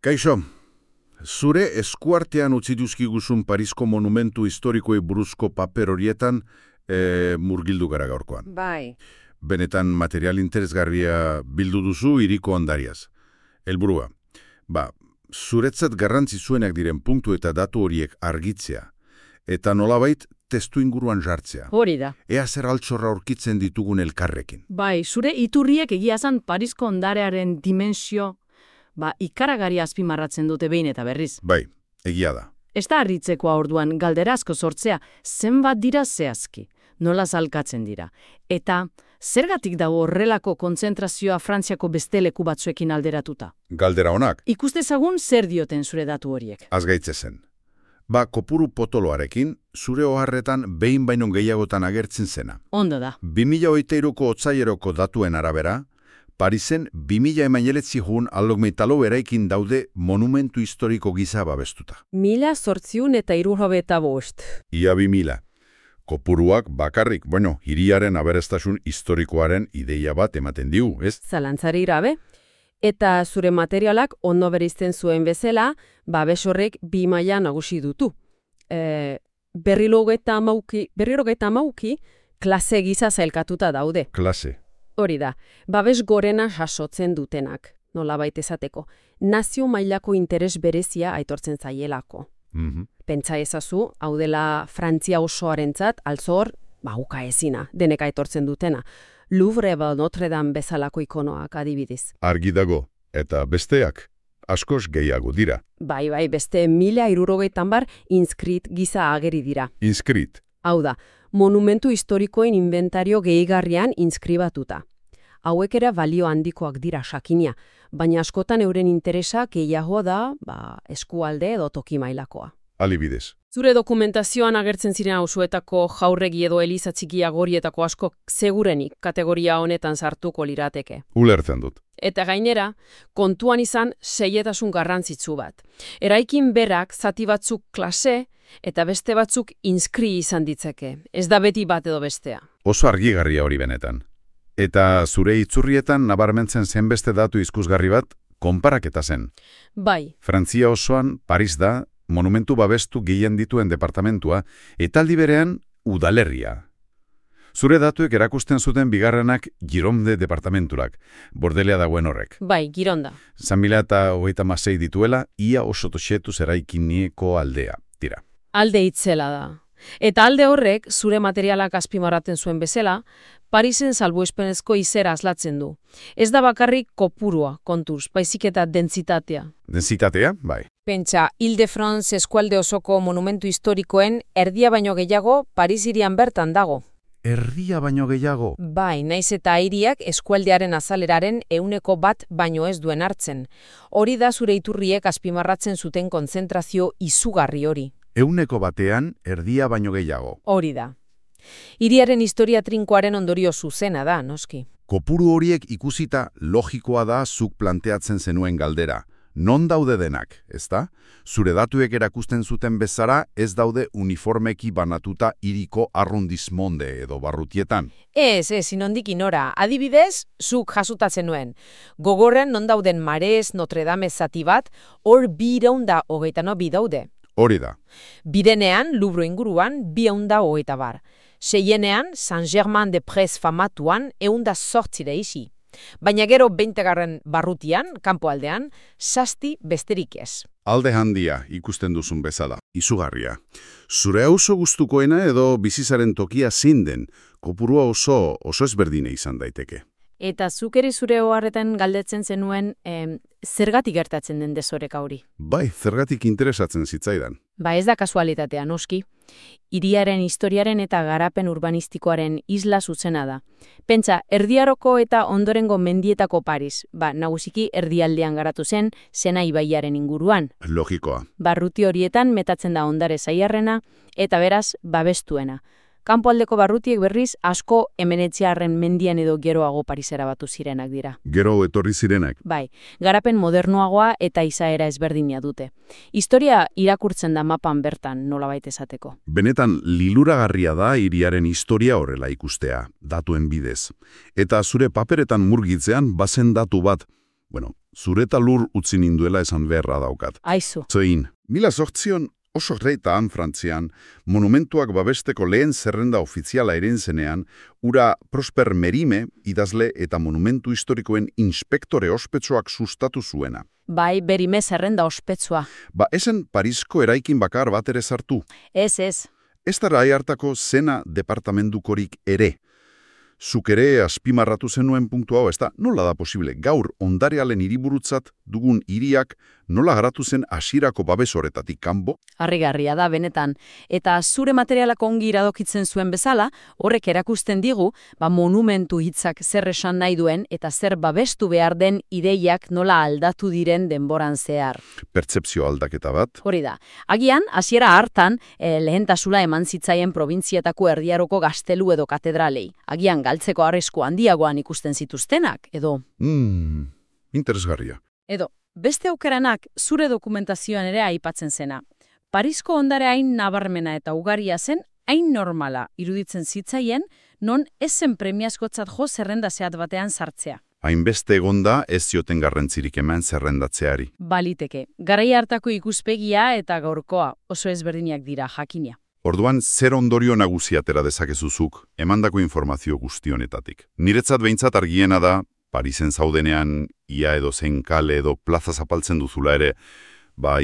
Kaixo, zure eskuartean utzi duzkiguzun Parisko monumentu historikoei buruzko paper horietan murgildu gara gaurkoan. Bai. Benetan material interesgarria bildu duzu hiriko ondariaz. Helburua, zuretzat garrantzi zuenak diren punktu eta datu horiek argitzea, eta nolabait testu inguruan jartzea. Hori da. Ea zer altxorra aurkitzen ditugun elkarrekin. Bai, zure iturriek egiazan Parisko ondarearen dimensio ikaragari azpimarratzen dute behin eta berriz. Bai, egia da. Ez da harritzekoa orduan galdera asko sortzea, zenbat dira zehazki, nola zalkatzen dira. Eta zergatik dago horrelako kontzentrazioa Frantziako beste leku batzuekin alderatuta? Galdera honak. Ikustezagun zer dioten zure datu horiek. Azgaitze zen. Kopuru potoloarekin, zure oharretan behin baino gehiagotan agertzen zena. Ondo da. 2023ko otsaileroko datuen arabera, Parisen 2000 jun aldogmeitalo eraikin daude monumentu historiko gisa babestuta. 1875. Ia 2000. Kopuruak bakarrik, hiriaren aberestasun historikoaren ideia bat ematen diu, ez? Zalantzari gabe. Eta zure materialak ondo bereizten zuen bezala, babes horrek 2 maila nagusi dutu. Berrirogeita hamauki klase gisa zailkatuta daude. Klase. Hori da, babes gorena jasotzen dutenak, nolabait esateko. Nazio mailako interes berezia aitortzen zaielako. Pentsa ezazu, hau dela Frantzia osoarentzat, altzor, uka ezina, denek aitortzen dutena. Louvre Notre Dame bezalako ikonoak adibidez. Argi dago, eta besteak, askoz gehiago dira. Bai, beste 1060 inskrit gisa ageri dira. Inskrit? Hau da, monumentu historikoen inventario gehigarrian inskribatuta. Hauek ere balio handikoak dira sakinia, baina askotan euren interesa gehiago da, eskualde edo toki mailakoa. Alibidez. Zure dokumentazioan agertzen ziren auzoetako jaurregi edo eliza txikia gorietako askok segurenik kategoria honetan sartuko lirateke. Ulertzen dut. Eta gainera, kontuan izan seietasun garrantzitsu bat. Eraikin berak zati batzuk klase eta beste batzuk inskri izan ditzake. Ez da beti bat edo bestea. Oso argigarria hori benetan. Eta zure itzurrietan nabarmentzen zen beste datu ikusgarri bat, konparaketa zen. Bai. Frantzia osoan, Paris da, monumentu babestu gehien dituen departamentua, eta aldi berean, udalerria. Zure datuek erakusten zuten bigarrenak Gironde departamenturak, Bordelea dagoen horrek. Bai, Gironda. 2036 dituela, ia oso toxetuz eraikinieko aldea, tira. Alde itzela da. Eta alde horrek, zure materialak azpimarraten zuen bezala, Parisen salbuespenezko izera aslatzen du. Ez da bakarrik kopurua, kontuz, baizik eta dentsitatea. Dentsitatea, bai. Pentsa, Ile-de-France eskualde osoko monumentu historikoen erdia baino gehiago Paris hirian bertan dago. Erdia baino gehiago? Bai, naiz eta hiriak eskualdearen azaleraren 1% baino ez duen hartzen. Hori da zure iturriek azpimarratzen zuten kontzentrazio izugarri hori. 1% erdia baino gehiago. Hori da. Hiriaren historia trinkoaren ondorio zuzena da, noski. Kopuru horiek ikusita logikoa da zuk planteatzen zenuen galdera. Non daude denak, ezta? Zure datuek erakusten zuten bezala ez daude uniformeki banatuta hiriko arrondismonde edo barrutietan. Ez, inondik inora. Adibidez, zuk jasutatzen nuen. Gogorren non dauden Marez, Notre Dame zati bat, hor 222 daude. Hori da. Birenean, Louvre inguruan, 220. Seienean, Saint-Germain-des-Prés famatuan, 108 isi. Baina gero 20. barrutian, kanpoaldean, 7 besterik ez. Alde handia ikusten duzun bezala, izugarria. Zure auzo gustukoena edo bizizaren tokia zein den, kopurua oso ezberdine izan daiteke. Eta zuk ere zure oharretan galdetzen zenuen zergatik gertatzen den desoreka hori? Bai, zergatik interesatzen zitzaidan. Ez da kasualitatea, noski. Hiriaren historiaren eta garapen urbanistikoaren isla zuzena da. Pentsa, erdiaroko eta ondorengo mendietako Paris, nagusiki erdialdean garatu zen, Sena ibaiaren inguruan. Logikoa. Barruti horietan metatzen da ondare zaiarrena eta beraz babestuena. Kanpoaldeko barrutiek berriz asko Hemeretziarren mendian edo geroago Parisera batu zirenak dira. Gero etorri zirenak? Bai, garapen modernoagoa eta izaera ezberdina dute. Historia irakurtzen da mapan bertan, nolabait esateko. Benetan liluragarria da hiriaren historia horrela ikustea, datuen bidez. Eta zure paperetan murgitzean bazen datu bat, Bueno, zureta lur utzi ninduela esan beharra daukat. Aizu. Zein, 1800 oso reitaan Frantzian, monumentuak babesteko lehen zerrenda ofiziala eren zenean, ura Prosper Merime idazle eta monumentu historikoen inspektore ospetsuak sustatu zuena. Bai, berime zerrenda ospetsua. Esen Parisko eraikin bakar bat ere sartu. Ez. Ez da hartako zena departamentukorik ere. Zuk ere azpimarratu zenuen punktu hau, ez da, nola da posible, gaur ondarealen hiriburutzat dugun hiriak nola garatu zen hasierako babes horretatik kanbo? Harrigarria da, benetan. Eta zure materialak ongi iradokitzen zuen bezala, horrek erakusten digu, monumentu hitzak zer esan nahi duen eta zer babestu behar den ideiak nola aldatu diren denboran zehar. Pertzepzio aldaketa bat. Hori da. Agian, hasiera hartan, lehentasula eman zitzaien probintzietako erdiaroko gaztelu edo katedralei. Agian, galtzeko arrisku handiagoan ikusten zituztenak, edo... Interesgarria. Edo, beste aukeranak zure dokumentazioan ere aipatzen zena. Parisko ondare hain nabarmena eta ugaria zen, hain normala iruditzen zitzaien, non ez zen premiazkotzat jo zerrenda zehat batean sartzea. Hainbeste egonda ez zioten garrantzirik eman zerrendatzeari. Baliteke, garai hartako ikuspegia eta gaurkoa oso ezberdinak dira jakina. Orduan, zer ondorio nagusi atera dezakezuzuk, emandako informazio guztionetatik. Niretzat behintzat argiena da, Parisen zaudenean, ia edo zein kale edo plaza zapaltzen duzula ere,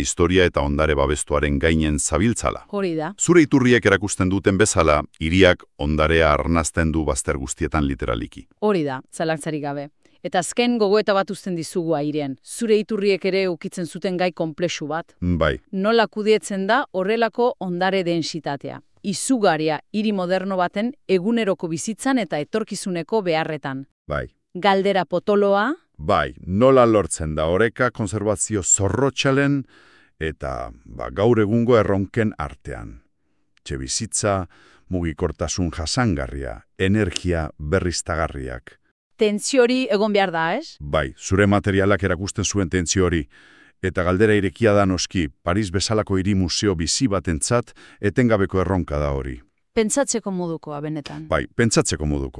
historia eta ondare babestuaren gainen zabiltzala. Hori da. Zure iturriek erakusten duten bezala, hiriak ondarea arnazten du bazter guztietan literaliki. Hori da, zalantzarik gabe. Eta azken gogoeta bat uzten dizugu airean. Zure iturriek ere ukitzen zuten gai konplexu bat. Bai. Nola kudietzen da horrelako ondare densitatea. Izugarria hiri moderno baten eguneroko bizitzan eta etorkizuneko beharretan. Bai. Galdera potoloa. Bai, nola lortzen da oreka konservazio zorrotxalen eta gaur egungo erronken artean. Etxebizitza, mugikortasun jasangarria, energia berriztagarriak. Tentsio hori egon behar da, ez? Bai, zure materialak erakusten zuen tentsio hori. Eta galdera irekia da noski, Paris bezalako hiri museo bizi batentzat etengabeko erronka da hori. Pentsatzeko modukoa benetan. Bai, pentsatzeko moduko.